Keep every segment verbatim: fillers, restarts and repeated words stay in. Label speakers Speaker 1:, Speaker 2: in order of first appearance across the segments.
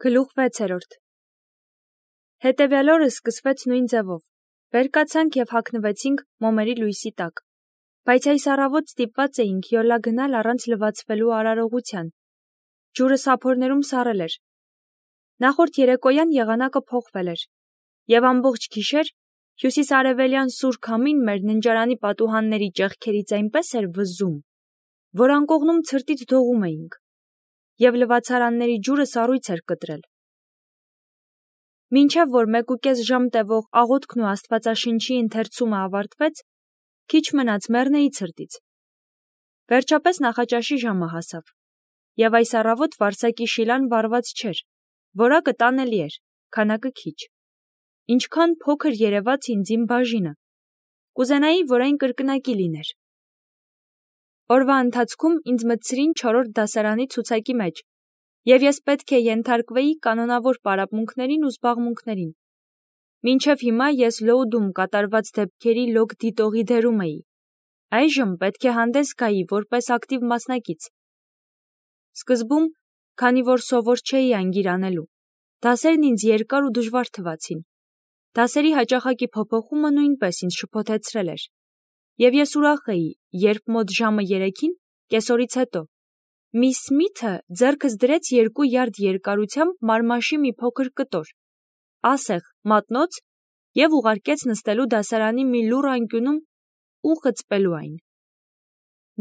Speaker 1: Գլուխ վեցերորդ Հետևյալ օրը սկսվեց նույն ձևով. վեր կացանք և հագնվեցինք մոմերի լույսի տակ, բայց այս առավոտ ստիպված էինք յոլա գնալ առանց լվացվելու արարողության. ջուրը սափորներում սառել էր. նախորդ երեկոյան եղանակը փոխվել էր, և ամբողջ գիշեր հյուսիսարևելյան սուր քամին մեր ննջարանի պատուհանների ճեղքերից այնպես էր վզում, որ անկողնում ցրտից դողում էինք, և լվացարանների ջուրը սառույց էր կտրել. Մինչև որ մեկուկես ժամ տևող աղոթքն ու Աստվածաշնչի ընթերցումը ավարտվեց, քիչ մնաց մեռնեի ցրտից. վերջապես նախաճաշի ժամը հասավ, և այս առավոտ վարսակի շիլան վառված չէր, որակը տանելի էր, քանակը քիչ. ինչքան փոքր երևաց ինձ իմ բաժինը, կուզենայի, որ այն կրկնակի լիներ. Օրվա ընթացքում ինձ մտցրին չորրորդ դասարանի ցուցակի մեջ, և ես պետք է ենթարկվեի կանոնավոր պարապմունքներին ու զբաղմունքներին. մինչև հիմա ես լոուդում կատարված դեպքերի լոգ դիտողի դերում էի, այժմ պետք է հանդես գայի որպես ակտիվ մասնակից. Սկզբում, քանի որ սովոր չէի անգիր անելու, դասերն ինձ երկար ու դժվար թվացին. դասերի հաճախակի փոփոխումը նույնպես ինձ շփոթեցրել էր, և ես ուրախ էի, երբ մոտ ժամը երեքին, կեսօրից հետո, միս Սմիթը ձեռքս դրեց երկու յարդ երկարությամբ մարմաշի մի փոքր կտոր, ասեղ, մատնոց և ուղարկեց նստելու դասարանի մի լուռ անկյունում ու խցպելու այն.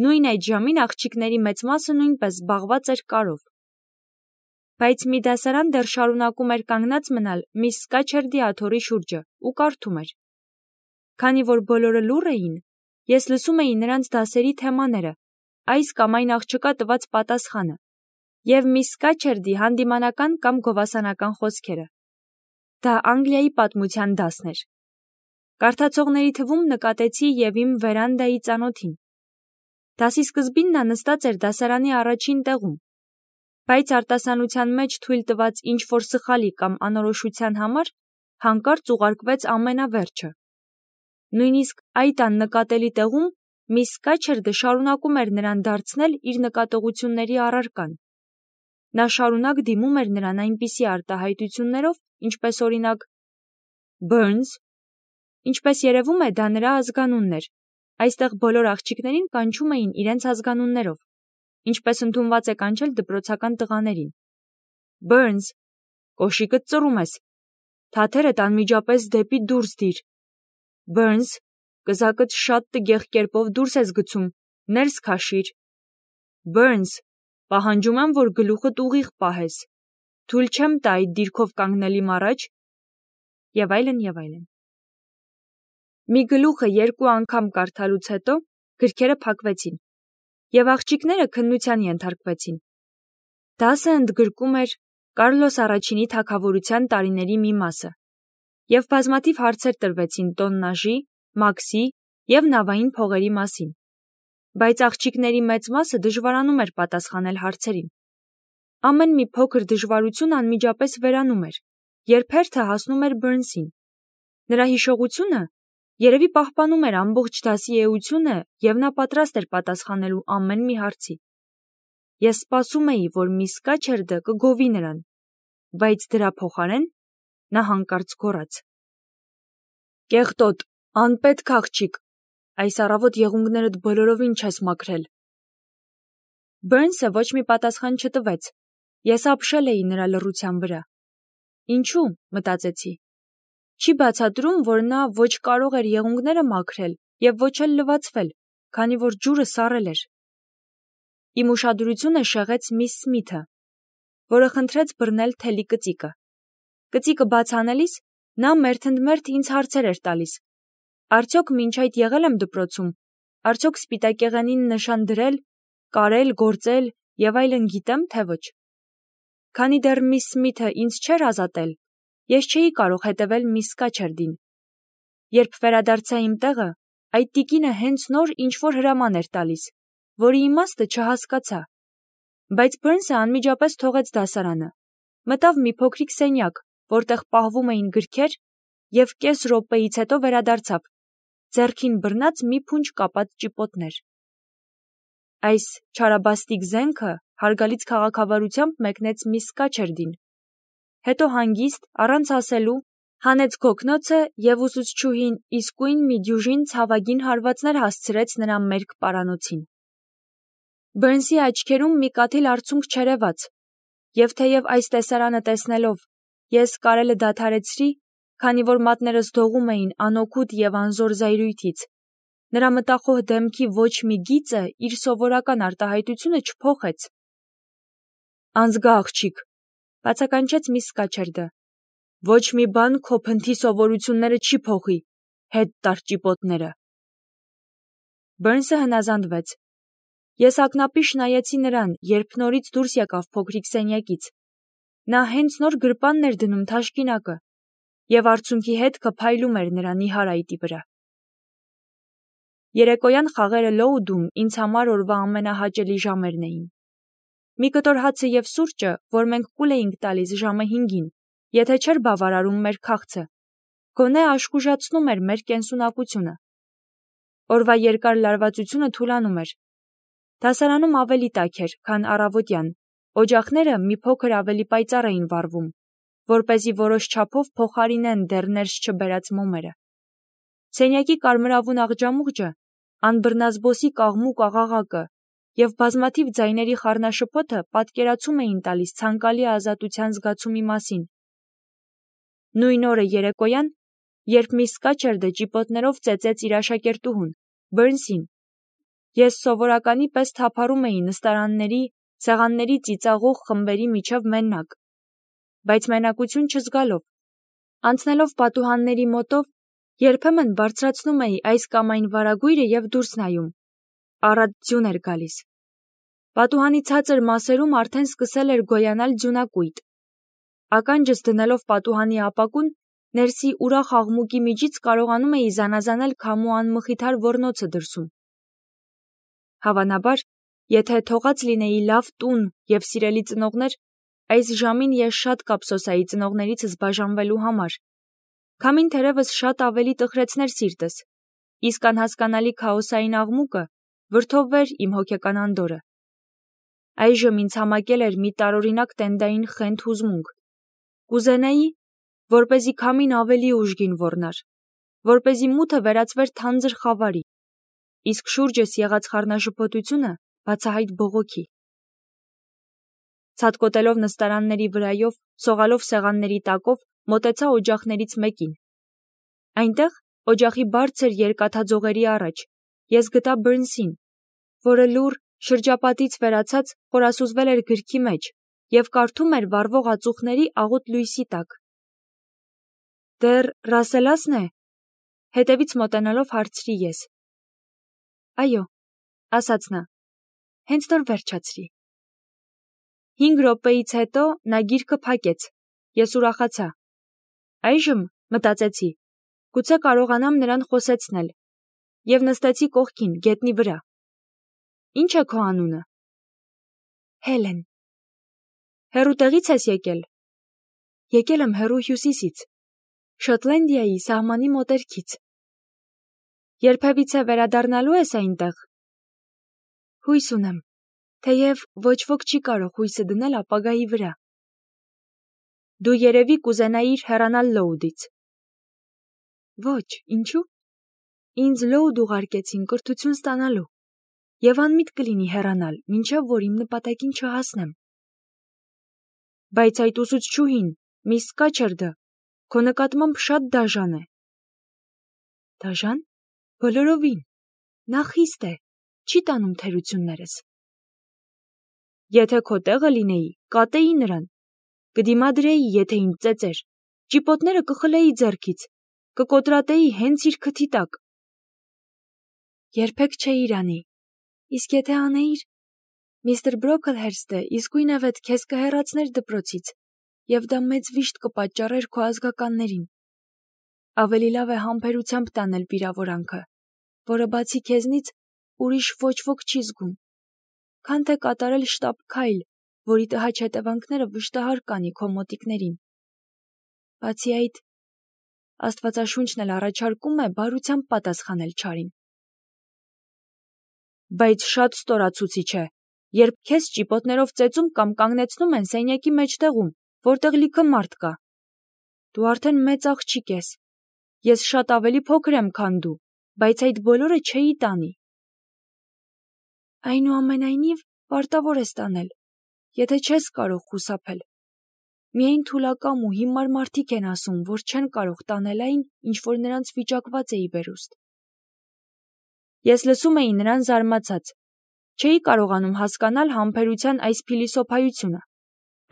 Speaker 1: նույն այդ ժամին աղջիկների մեծ մասը նույնպես զբաղված էր կարով. Բայց մի դասարան դեռ շարունակում էր կանգնած մնալ միս Սկաչերդի աթոռի շուրջը ու կարդում էր. քանի որ բոլորը լուռ էին, ես լսում էի նրանց դասերի թեմաները, այս կամ այն աղջկա տված պատասխանը, և միս Սկաչերդի հանդիմանական կամ գովասանական խոսքերը. դա Անգլիայի պատմության դասն էր. Կարդացողների թվում նկատեցի և իմ վերանդայի ծանոթին. դասի սկզբին նա նստած էր դասարանի առաջին տեղում, բայց արտասանության մեջ թույլ տված ինչ-որ սխալի կամ անորոշության համար հանկարծ ուղարկվեց ամենավերջը. նույնիսկ այդ աննկատելի տեղում միս Սկաչերդը շարունակում էր նրան դարձնել իր նկատողությունների առարկան. նա շարունակ դիմում էր նրան այնպիսի արտահայտություններով, ինչպես օրինակ. Բըրնս, ինչպես երևում է, դա նրա ազգանունն էր, այստեղ բոլոր աղջիկներին կանչում էին իրենց ազգանուններով, ինչպես ընդունված է կանչել դպրոցական տղաներին. Բըրնս, կոշիկդ ծռում ես, թաթերդ անմիջապես դեպի դուրս դիր. Բըրնս, կզակդ շատ տգեղ կերպով դուրս ես գցում, ներս քաշիր. Բըրնս, պահանջում եմ, որ գլուխդ ուղիղ պահես, թույլ չեմ տա այդ դիրքով կանգնել իմ առաջ, և այլն, և այլն. Մի գլուխը երկու անգամ կարդալուց հետո գրքերը փակվեցին, և աղջիկները քննության ենթարկվեցին. դասը ընդգրկում էր Կարլոս առաջինի թագավորության տարիների մի մասը, և բազմաթիվ հարցեր տրվեցին տոննաժի, մաքսի և նավային փողերի մասին, բայց աղջիկների մեծ մասը դժվարանում էր պատասխանել հարցերին. ամեն մի փոքր դժվարություն անմիջապես վերանում էր, երբ հերթը հասնում էր Բըրնսին. նրա հիշողությունը երևի պահպանում էր ամբողջ դասի էությունը, և նա պատրաստ էր պատասխանելու ամեն մի հարցի. Ես սպասում էի, որ միս Սկաչերդը կգովի նրան, բայց դրա փոխարեն նա հանկարծ գոռաց. Կեղտոտ, անպետք աղջիկ, այս առավոտ եղունգներդ բոլորովին չես մաքրել. Բըրնսը ոչ մի պատասխան չտվեց, ես ապշել էի նրա լռության վրա. ինչու, մտածեցի, չի բացատրում, որ նա ոչ կարող էր եղունգները մաքրել և ոչ էլ լվացվել, քանի որ ջուրը սառել էր. Իմ ուշադրությունը շեղեց միս Սմիթը, որը խնդրեց բռնել թելի կծիկը. կծիկը բաց անելիս նա մերթընդմերթ ինձ հարցեր էր տալիս. արդյոք մինչ այդ եղել եմ դպրոցում, արդյոք սպիտակեղենին նշան դրել, կարել, գործել և այլն գիտեմ, թե ոչ. Քանի դեռ միս Սմիթը ինձ չէր ազատել, ես չէի կարող հետևել միս Սկաչերդին. երբ վերադարձա իմ տեղը, այդ տիկինը հենց նոր ինչ-որ հրաման էր տալիս, որի իմաստը չհասկացա, բայց Բըրնսը անմիջապես թողեց դասարանը, մտավ մի փոքրիկ սենյակ, որտեղ պահվում էին գրքեր, և կես րոպեից հետո վերադարձավ, ձեռքին բռնած մի փունջ կապած ճիպոտներ. այս չարաբաստիկ զենքը հարգալից քաղաքավարությամբ մեկնեց միս Սկաչերդին, հետո հանգիստ, առանց ասելու, հանեց գոգնոցը և ուսուցչուհին իսկույն մի դյուժին ցավագին հարվածներ հասցրեց նրա մերկ պարանոցին։ Բըրնսի աչքերում մի կաթիլ արցունք չերևաց, և թեև այս տեսարանը տեսնելով ես կարելը դադարեցրի, քանի որ մատներս դողում էին անօգուտ և անզոր զայրույթից, նրա մտախոհ դեմքի ոչ մի գիծը իր սովորական արտահայտությունը չփոխեց։ «Անզգա աղջիկ», բացականչեց միս Սկաչերդը, «ոչ մի բան քո փնթի սովորությունները չի փոխի, հետ տար ճիպոտները»։ Բըրնսը հնազանդվեց։ Ես ակնապիշ նայեցի նրան, երբ նորից դուրս եկավ փոքրիկ սենյակից։ Նա հենց նոր գրպանն էր դնում թաշկինակը, և արցունքի հետքը փայլում էր նրա նիհար այտի վրա։ Երեկոյան խաղերը Լոուդում ինձ համար օրվա ամենահաճելի ժամերն էին։ Մի կտոր հացը և սուրճը, որ մենք կուլ էինք տալիս ժամը հինգին, եթե չէր բավարարում մեր քաղցը, գոնե աշխուժացնում էր մեր կենսունակությունը։ Օրվա երկար լարվածությունը թուլանում էր։ Դասարանում ավելի տաք էր, քան առավոտյան, օջախները մի փոքր ավելի պայծառ էին վառվում, որպեսզի որոշ չափով փոխարինեն դեռ ներս չբերած մոմերը։ Սենյակի կարմրավուն աղջամուղջը, անբռնազբոսի կաղմուկ աղաղակը և բազմաթիվ ձայների խառնաշփոթը պատկերացում էին տալիս ցանկալի ազատության զգացումի մասին։ Նույն օրը երեկոյան, երբ միս Սկաչերդը ճիպոտներով ծեծեց իր աշակերտուհուն, Բըրնսին, ես սովորականի պես թափառում էի նստարանների, սեղանների ծիծաղող խմբերի միջև մենակ, բայց մենակություն չզգալով, անցնելով պատուհանների մոտով, երբեմն բարձրացնում էի այս կամ այն վարագույրը և դուրս նայում։ Առատ ձյուն էր գալիս։ Պատուհանի ցածր մասերում արդեն սկսել էր գոյանալ ձյունակույտ։ Ականջս դնելով պատուհանի ապակուն, ներսի ուրախ աղմուկի միջից կարողանում էի զանազանել քամու անմխիթար ոռնոցը դրսում։ Հավանաբար, եթե թողած լինեի լավ տուն և սիրելի ծնողներ, այս ժամին ես շատ կափսոսայի ծնողներիցս բաժանվելու համար։ Քամին թերևս շատ ավելի տխրեցներ սիրտս, իսկ անհասկանալի քաոսային աղմուկը վրդովվեր իմ հոգեկան անդորրը։ Այժմ ինձ համակել էր մի տարօրինակ տենդային խենթ հուզմունք։ Կուզենայի, որպեսզի քամին ավելի ուժգին ոռնար, որպեսզի մութը վերածվեր թանձր խավարի, իսկ շուրջս եղած խառնաշփոթությունը բացահայտ բողոքի։ Ցատկոտելով նստարանների վրայով, սողալով սեղանների տակով, մոտեցա օջախներից մեկին։ Այնտեղ, օջախի բարձր երկաթաձողերի առաջ, ես գտա Բըրնսին, որը լուռ, շրջապատից վերացած խորասուզվել էր գրքի մեջ և կարդում էր վառվող ածուխների աղոտ լույսի տակ։ «Դեռ Ռասելասն է», հետևից մոտենալով հարցրի ես։ «Այո», ասաց նա, «հենց նոր վերջացրի»։ Հինգ րոպեից հետո նա գիրքը փակեց։ Ես ուրախացա։ Այժմ, մտածեցի, գուցե կարողանամ նրան խոսեցնել, և նստեցի կողքին, գետնի վրա։ «Ինչ է քո անունը»։ «Հելեն»։ «Հեռու տեղի՞ց ես եկել»։ «Եկել եմ հեռու հյուսիսից, Շոտլանդիայի սահմանի մոտերքից»։ «Երբևիցե վերադառնալու ես այնտեղ»։ «Հույս ունեմ, թեև ոչ ոք չի կարող հույսը դնել ապագայի վրա»։ «Դու երևի կուզենայիր հեռանալ Լոուդից»։ «Ոչ, ինչու՞։ Ինձ Լոուդ ուղարկեցին կրթություն ստանալու, և անմիտ կլինի հեռանալ, մինչև որ իմ նպատակին չհասնեմ»։ «Բայց այդ ուսուցչուհին, միս Սկաչերդը, քո նկատմամբ շատ դաժան է»։ «Դաժա՞ն։ Բոլորովին. նա խիստ է, չի տանում թերություններս»։ «Եթե քո տեղը լինեի, կատեի նրան, կդիմադրեի, եթե ինձ ծեծեր, ճիպոտները կխլեի ձեռքից, կկոտրատեի հենց իր քթի տակ»։ «Երբեք չէիր անի, իսկ եթե անեիր, միստր Բրոքլհերստը իսկույնևեթ քեզ կհեռացներ դպրոցից, և դա մեծ վիշտ կպատճառեր քո ազգականներին։ Ավելի լավ է համբերությամբ տանել վիրավորանքը, որը բացի քեզնից ուրիշ ոչ ոք չի զգում, քան թե կատարել շտապ քայլ, որի տհաճ հետևանքները վշտահար կանի քո մոտիկներին։ Բացի այդ, Աստվածաշունչն էլ առաջարկում է բարությամբ պատասխանել չարին»։ «Բայց շատ ստորացուցիչ է, երբ քեզ ճիպոտներով ծեծում կամ կանգնեցնում են սենյակի մեջտեղում, որտեղ լիքը մարդ կա։ Դու արդեն մեծ աղջիկ ես։ Ես շատ ավելի փոքր եմ, քան դու, բայց այդ բոլորը չէի տանի։ Այնուամենայնիվ, պարտավոր ես տանել, եթե չես կարող խուսափել։ Միայն թուլակամ ու հիմար մարդիկ են ասում, որ չեն կարող տանել այն, ինչ որ նրանց վիճակված է ի վերուստ։ Ես լսում էի նրան զարմացած։ Չէի կարողանում հասկանալ համբերության այս փիլիսոփայությունը։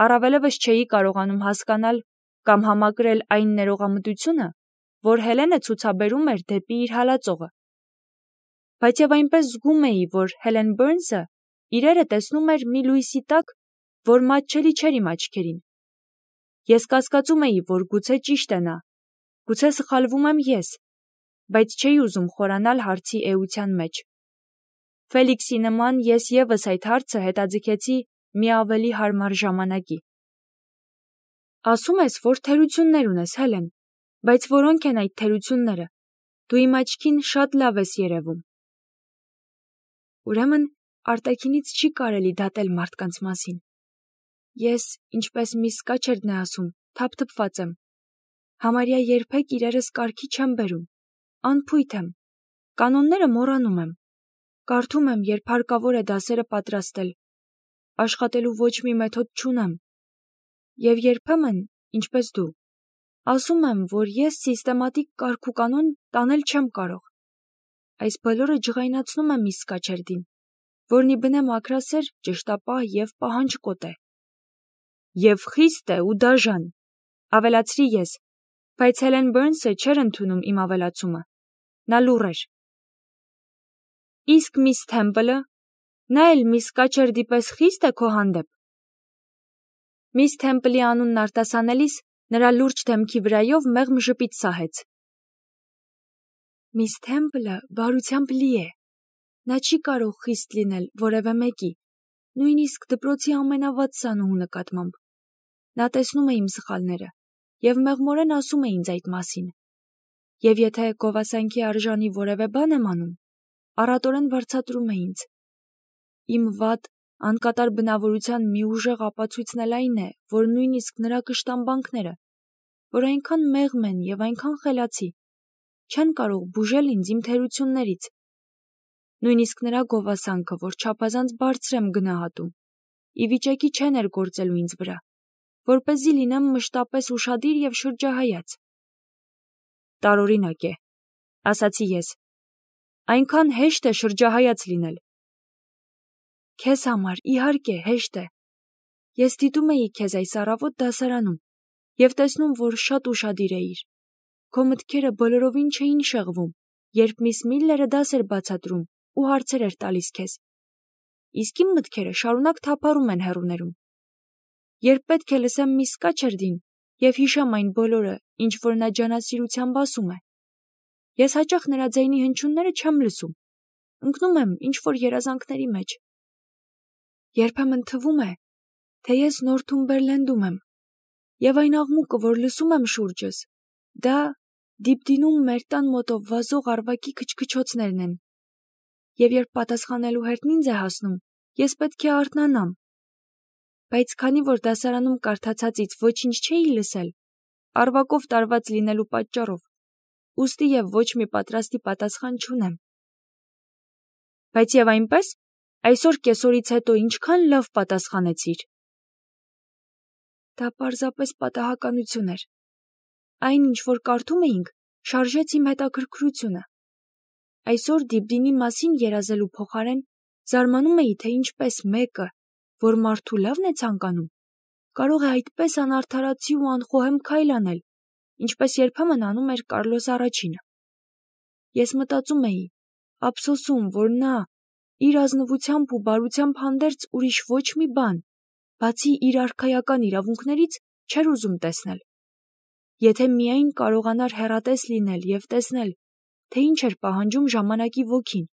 Speaker 1: Առավելևս չէի կարողանում հասկանալ կամ համակրել այն ներողամտությունը, որ Հելենը ցուցաբերում էր դեպի իր հալածողը։ Բայց եւ այնպես զգում էի, որ Հելեն Բըրնսը իրերը տեսնում էր մի լույսի տակ, որ մատչելի չէր իմ աչքերին։ Ես կասկածում էի, որ գուցե ճիշտ է նա, գուցե սխալվում եմ ես, բայց չէի ուզում խորանալ հարցի էության մեջ։ Ֆելիքսի նման ես եւս այդ հարցը հետաձգեցի մի ավելի հարմար ժամանակի։ Ասում ես, որ թերություններ ունես, Հելեն, բայց որոնք են այդ թերությունները։ Դու իմ աչքին շատ լավ ես երևում։ Ուրեմն արտաքինից չի կարելի դատել մարդկանց մասին։ Ես, ինչպես միս Սկաչերդն է ասում, թափթփված եմ։ Համարյա երբեք իրերս կարգի չեմ բերում։ Անփույթ եմ։ Կանոնները մոռանում եմ։ Կարդում եմ, երբ հարկավոր է դասերը պատրաստել։ Աշխատելու ոչ մի մեթոդ չունեմ։ Եվ երբեմն, ինչպես դու, ասում եմ, որ ես սիստեմատիկ կարգ ու կանոն տանել չեմ կարող։ Այս բոլորը ջղայնացնում է միս Սկաչերդին, որն ի բնե մաքրասեր, ճշտապահ և պահանջկոտ է։ Եվ խիստ է ու դաժան, ավելացրի ես, բայց Հելեն Բըրնսը չէր ընդունում իմ ավելացումը։ Նա լուռ էր։ Իսկ միս Թեմպլը, նա էլ միս Սկաչերդի պես խիստ է քո հանդեպ։ Միս Թեմպլի անունն արտասանելիս նրա լուրջ դեմքի վրայով մեղմ ժպիտ սահեց։ Միս Թեմպլը բարությամբ լի է։ Նա չի կարող խիստ լինել որևէ մեկի, նույնիսկ դպրոցի ամենավատ սանուհու նկատմամբ։ Նա տեսնում է իմ սխալները և մեղմորեն ասում է ինձ այդ մասին։ Եվ եթե գովասանքի արժանի որևէ բան եմ անում, առատորեն վարձատրում է ինձ։ Իմ վատ, անկատար բնավորության մի ուժեղ ապացույցն էլ այն է, որ նույնիսկ նրա կշտամբանքները, որ այնքան մեղմ են և այնքան խելացի, չեն կարող բուժել ինձ իմ թերություններից։ Նույնիսկ նրա գովասանքը, որ չափազանց բարձր եմ գնահատում, ի վիճակի չէ ներգործելու ինձ վրա, որպեսզի լինեմ մշտապես ուշադիր և շրջահայաց։ Տարօրինակ է, ասացի ես, այնքան հեշտ է շրջահայաց լինել։ Քեզ համար, իհարկե, հեշտ է։ Ես դիտում էի քեզ այս առավոտ դասարանում և տեսնում, որ շատ ուշադիր էիր։ Քո մտքերը բոլորովին չէին շեղվում, երբ միս Միլլերը դաս էր բացատրում ու հարցեր էր տալիս քեզ։ Իսկ իմ մտքերը շարունակ թափառում են հեռուներում։ Երբ պետք է լսեմ միս Սկաչերդին և հիշեմ այն բոլորը, ինչ որ նա ջանասիրությամբ ասում է, ես հաճախ նրա ձայնի հնչյունները չեմ լսում, ընկնում եմ ինչ որ երազանքների մեջ։ Երբեմն թվում է, թե ես Նորթումբերլենդում եմ, և այն աղմուկը, որ լսում եմ շուրջս, դա դիպդինում մեր տան մոտով վազող առվակի քչքչոցներն են։ Եվ երբ պատասխանելու հերթն ինձ է հասնում, ես պետք է արթնանամ։ Բայց քանի որ դասարանում կարդացածից ոչինչ չէի լսել, առվակով տարված լինելու պատճառով, ուստի և ոչ մի պատրաստի պատասխան չունեմ։ Բայց և այնպես, այսօր կեսօրից հետո ինչքան լավ պատասխանեցիր։ Դա պարզապես պատահականություն էր։ Այն, ինչ որ կարդում էինք, շարժեց իմ հետաքրքրությունը։ Այսօր Դիպդինի մասին երազելու փոխարեն զարմանում էի, թե ինչպես մեկը, որ մարդու լավն է ցանկանում, կարող է այդպես անարդարացի ու անխոհեմ քայլ անել, ինչպես երբեմն անում էր Կարլոս առաջինը։ Ես մտածում էի, ափսոսում, որ նա իր ազնվությամբ ու բարությամբ հանդերձ ուրիշ ոչ մի բան, բացի իր արքայական իրավունքներից, չէր ուզում տեսնել։ Եթե միայն կարողանար հեռատես լինել և տեսնել, թե ինչ էր պահանջում ժամանակի ոգին։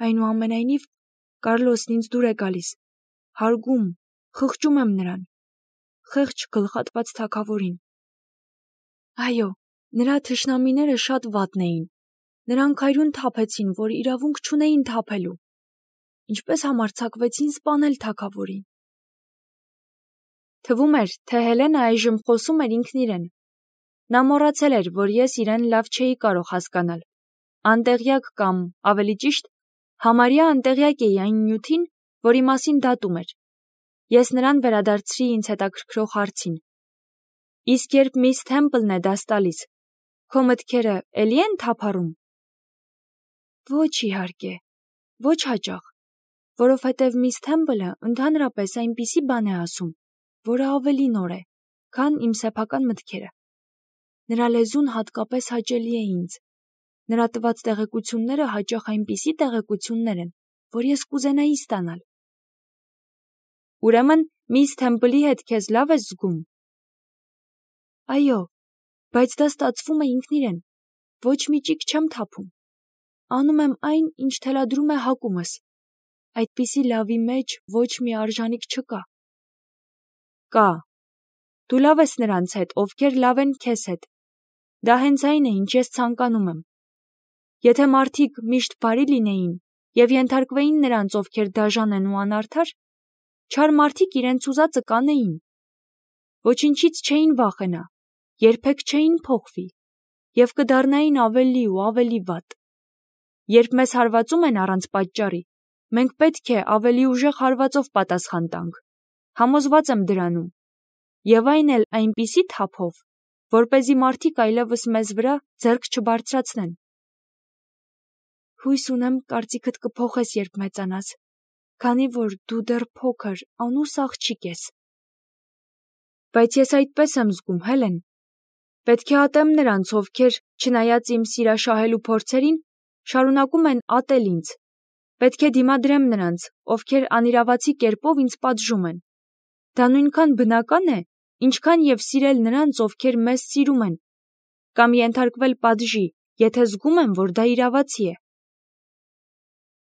Speaker 1: Այնուամենայնիվ, Կարլոսն ինձ դուր է գալիս, հարգում, խղճում եմ նրան, խեղճ գլխատված թագավորին։ Այո, նրա թշնամիները շատ վատն էին, նրանք այրուն թափեցին, որ իրավունք չունեին թափելու, ինչպես համարձակվեցին սպանել թագավորին։ Թվում էր, թե Հելենը այժմ խոսում էր ինքն իրեն։ Նա մոռացել էր, որ ես իրեն լավ չէի կարող հասկանալ։ Անտեղյակ կամ, ավելի ճիշտ, համարյա անտեղյակ էի այն նյութին, որի մասին դատում էր։ Ես նրան վերադարձրի ինձ հետաքրքրող հարցին. իսկ երբ միս Թեմպլն է դաս տալիս, քո մտքերը էլի են թափառում։ Ոչ իհարկե, ոչ հաճախ, որովհետև միս Թեմպլը ընդհանրապես այնպիսի բան է ասում, որը ավելի նոր է, քան իմ սեփական մտքերը։ Նրա լեզուն հատկապես հաճելի է ինձ։ Նրա տված տեղեկությունները հաճախ այնպիսի տեղեկություններ են, որ ես կուզենայի ստանալ։ Ուրեմն միս Թեմպլի հետ քեզ լավ ես զգում։ Այո, բայց դա ստացվում է ինքն իրեն, ոչ մի ճիգ չեմ թափում։ Անում եմ այն, ինչ թելադրում է հակումս։ Այդպիսի լավի մեջ ոչ մի արժանիք չկա։ Կա։ Դու լավ ես նրանց հետ, ովքեր լավ են քեզ հետ։ Դա հենց այն է, ինչ ես ցանկանում եմ։ Եթե մարդիկ միշտ բարի լինեին և ենթարկվեին նրանց, ովքեր դաժան են ու անարդար, չար մարդիկ իրենց ուզածը կանեին։ Ոչինչից չէին վախենա, երբեք չէին փոխվի և կդառնային ավելի ու ավելի վատ։ Երբ մեզ հարվածում են առանց պատճառի, մենք պետք է ավելի ուժեղ հարվածով պատասխան տանք։ Համոզված եմ դրանում։ Եվ այն էլ այնպիսի թափով, որպեսզի մարդիկ այլևս մեզ վրա ձեռք չբարձրացնեն։ Հույս ունեմ, կարծիքդ կփոխես, երբ մեծանաս, քանի որ դու դեռ փոքր, անուս աղջիկ ես։ Բայց ես այդպես եմ զգում, Հելեն։ Պետք է ատեմ նրանց, ովքեր, չնայած իմ սիրաշահելու փորձերին, շարունակում են ատել ինձ։ Պետք է դիմադրեմ նրանց, ովքեր անիրավացի կերպով ինձ պատժում են։ Դա նույնքան բնական է, ինչքան և սիրել նրանց, ովքեր մեզ սիրում են, կամ ենթարկվել պատժի, եթե զգում եմ, որ դա իրավացի է։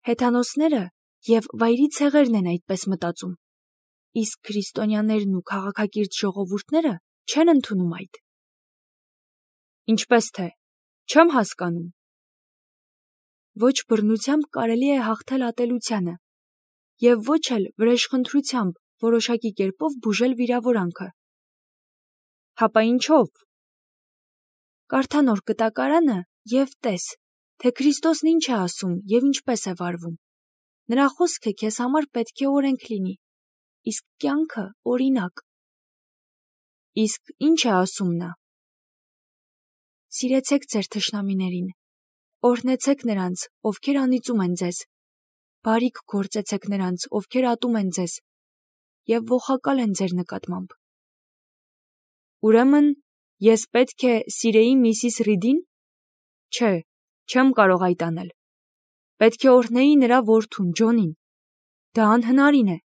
Speaker 1: Հեթանոսները և վայրի ցեղերն են այդպես մտածում, իսկ քրիստոնյաներն ու քաղաքակիրթ ժողովուրդները չեն ընդունում այդ։ Ինչպես թե, չեմ հասկանում։ Ոչ բռնությամբ կարելի է հաղթել ատելությանը, և ոչ էլ վրեժխնդրությամբ որոշակի կերպով բուժել վիրավորանքը։ Հապա ինչով։ Կարդա Նոր Կտակարանը և տես, թե Քրիստոսն ինչ է ասում և ինչպես է վարվում։ Նրա խոսքը քեզ համար պետք է օրենք լինի, իսկ կյանքը օրինակ։ Իսկ ինչ է ասում նա։ Սիրեցեք ձեր թշնամիներին, օրհնեցեք նրանց, ովքեր անիծում են ձեզ, բարիք գործեցեք նրանց, ովքեր ատում են ձեզ և ողակալ են ձեր նկատմամբ։ Ուրեմն, ես պետք է սիրեի միսիս Ռիդին։ Չէ, չեմ կարող այդ անել։ Պետք է օրհնեի նրա որդուն, Ջոնին։ Դա անհնարին է։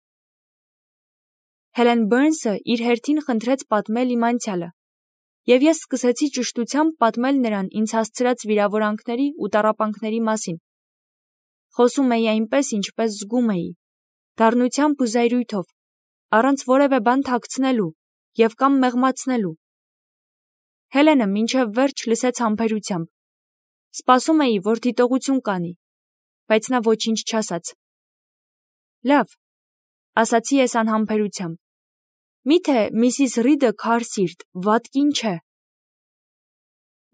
Speaker 1: Հելեն Բըրնսը իր հերթին խնդրեց պատմել իմ անցյալը, և ես սկսեցի ճշտությամբ պատմել նրան ինձ հասցրած վիրավորանքների ու տառապանքների մասին։ Խոսում էի այնպես, ինչպես զգում էի, դառնությամբ ու զայրույթով, առանց որևէ բան թաքցնելու և կամ մեղմացնելու։ Հելենը մինչև վերջ լսեց համբերությամբ։ Սպասում էի, որ դիտողություն կանի, բայց նա ոչինչ չասաց։ Լավ, ասացի ես անհամբերությամբ։ Միթե միսիս Ռիդը քարսիրտ, վատ կին չէ։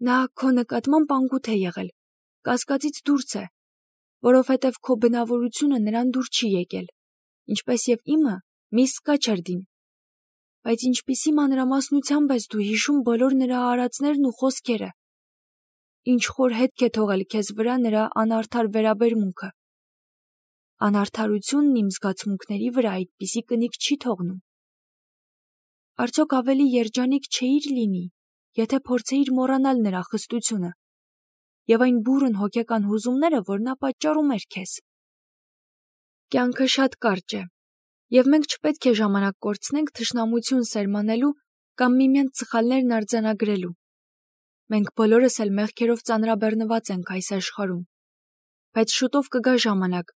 Speaker 1: Նա քո նկատմամբ անգութ է եղել, կասկածից դուրս է, որովհետև քո բնավորությունը նրան դուր չի եկել, ինչպես և իմը միս Սկաչերդին։ Բայց ինչպիսի մանրամասնությամբ ես դու հիշում բոլոր նրա արածներն ու խոսքերը։ Ինչ խոր հետք է թողել քեզ վրա նրա անարդար վերաբերմունքը։ Անարդարությունն իմ զգացմունքների վրա այդպիսի կնիկ չի թողնում։ Արդյոք ավելի երջանիկ չէիր լինի, եթե փորձեիր մոռանալ նրա խստությունը և այն բուռն հոգեկան հուզումները, որ նա պատճառում էր քեզ։ Կյանքը շատ կարճ է, և մենք չպետք է ժամանակ կորցնենք թշնամություն սերմանելու կամ միմյանց սխալներն արձանագրելու։ Մենք բոլորս էլ մեղքերով ծանրաբեռնված ենք այս աշխարհում։ Բայց շուտով կգա ժամանակ,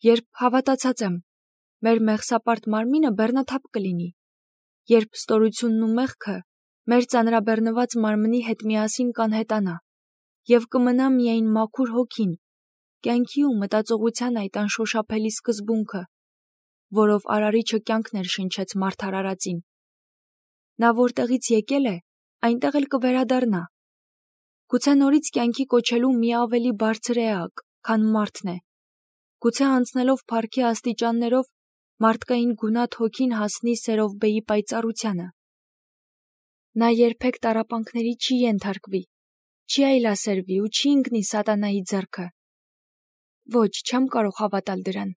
Speaker 1: երբ, հավատացած եմ, մեր մեղսապարտ մարմինը բեռնաթափ կլինի, երբ ստորությունն ու մեղքը մեր ծանրաբեռնված մարմնի հետ միասին կանհետանա, և կմնա միայն մաքուր հոգին, կյանքի ու մտածողության այդ անշոշափելի սկզբունքը, որով Արարիչը կյանք ներշնչեց մարդ արարածին։ Նա որտեղից եկել է, այնտեղ էլ կվերադառնա։ Գուցե նորից կյանքի կոչելու մի ավելի բարձր էակ, քան մարդն է։ Գուցե անցնելով փառքի աստիճաններով մարդկային գունատ հոգին հասնի Սերովբեի պայծառությանը։ Նա երբեք տառապանքների չի ենթարկվի, չի այլասերվի ու չի ընկնի սատանայի ձեռքը։ Ոչ, չեմ կարող հավատալ դրան։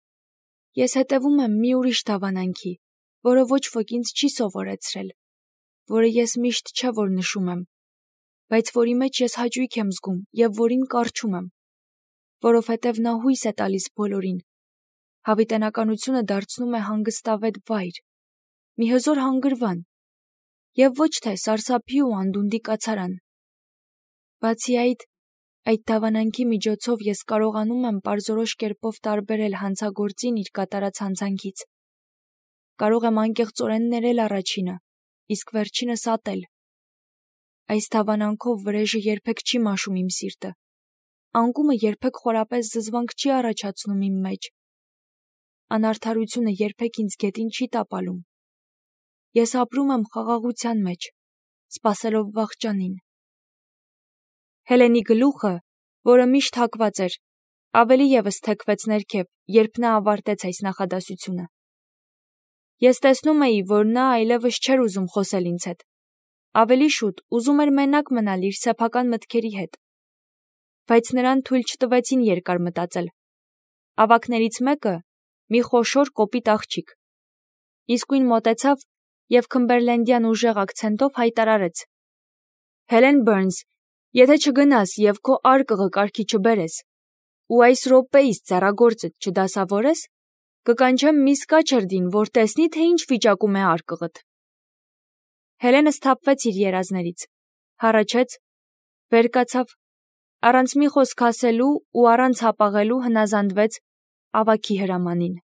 Speaker 1: Ես հետևում եմ մի ուրիշ դավանանքի, որը ոչ ոք ինձ չի սովորեցրել, որը ես միշտ չէ որ նշում եմ, բայց որի մեջ ես հաճույք եմ զգում և որին կառչում եմ, որովհետև նա հույս է տալիս բոլորին։ Հավիտենականությունը դարձնում է հանգստավետ վայր, մի հզոր հանգրվան, և ոչ թե սարսափի ու անդունդի կացարան։ Բացի այդ, այդ դավանանքի միջոցով ես կարողանում եմ պարզորոշ կերպով տարբերել հանցագործին իր կատարած հանցանքից։ Կարող եմ անկեղծորեն ներել առաջինը, իսկ վերջինս ատել։ Այս դավանանքով վրեժը երբեք չի մաշում իմ սիրտը։ Անկումը երբեք խորապես զզվանք չի առաջացնում իմ մեջ։ Անարդարությունը երբեք ինձ գետին չի տապալում։ Ես ապրում եմ խաղաղության մեջ, սպասելով վաղճանին։ Հելենի գլուխը, որը միշտ հագված էր, ավելի ևս թեքվեց ներքև, երբ նա ավարտեց այս նախադասությունը։ Ես տեսնում էի, որ նա այլևս չէր ուզում խոսել ինձ հետ։ Ավելի շուտ ուզում էր մենակ մնալ իր սեփական մտքերի հետ։ Բայց նրան թույլ չտվեցին երկար մտածել։ Ավագներից մեկը, մի խոշոր կոպիտ աղջիկ, իսկույն մոտեցավ և քմբերլենդյան ուժեղ ակցենտով հայտարարեց. Հելեն Բըրնս, եթե չգնաս և քո արկղը կարգի չբերես, ու այս րոպեիս ձեռագործդ չդասավորես, կկանչեմ միս Կաչերդին, որ տեսնի, թե ինչ վիճակում է արկղդ։ Հելենը սթափվեց իր երազներից, հառաչեց, վեր կացավ, առանց մի խոսք ասելու ու առանց հապաղելու հնազանդվեց ավագի հրամանին։